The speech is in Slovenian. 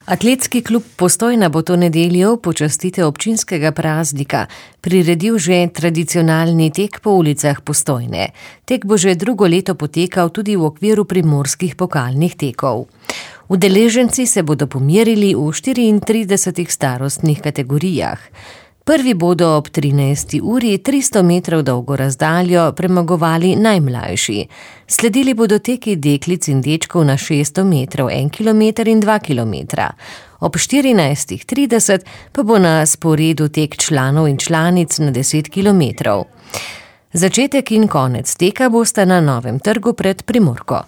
Atletski klub Postojna bo to nedeljo v počastitev občinskega praznika priredil že tradicionalni tek po ulicah Postojne. Tek bo že drugo leto potekal tudi v okviru primorskih pokalnih tekov. Udeleženci se bodo pomerili v 34 starostnih kategorijah. Prvi bodo ob 13. uri 300 metrov dolgo razdaljo premagovali najmlajši. Sledili bodo teki deklic in dečkov na 600 metrov, 1 kilometer in 2 kilometra. Ob 14.30 pa bo na sporedu tek članov in članic na 10 kilometrov. Začetek in konec teka bosta na Novem trgu pred Primorko.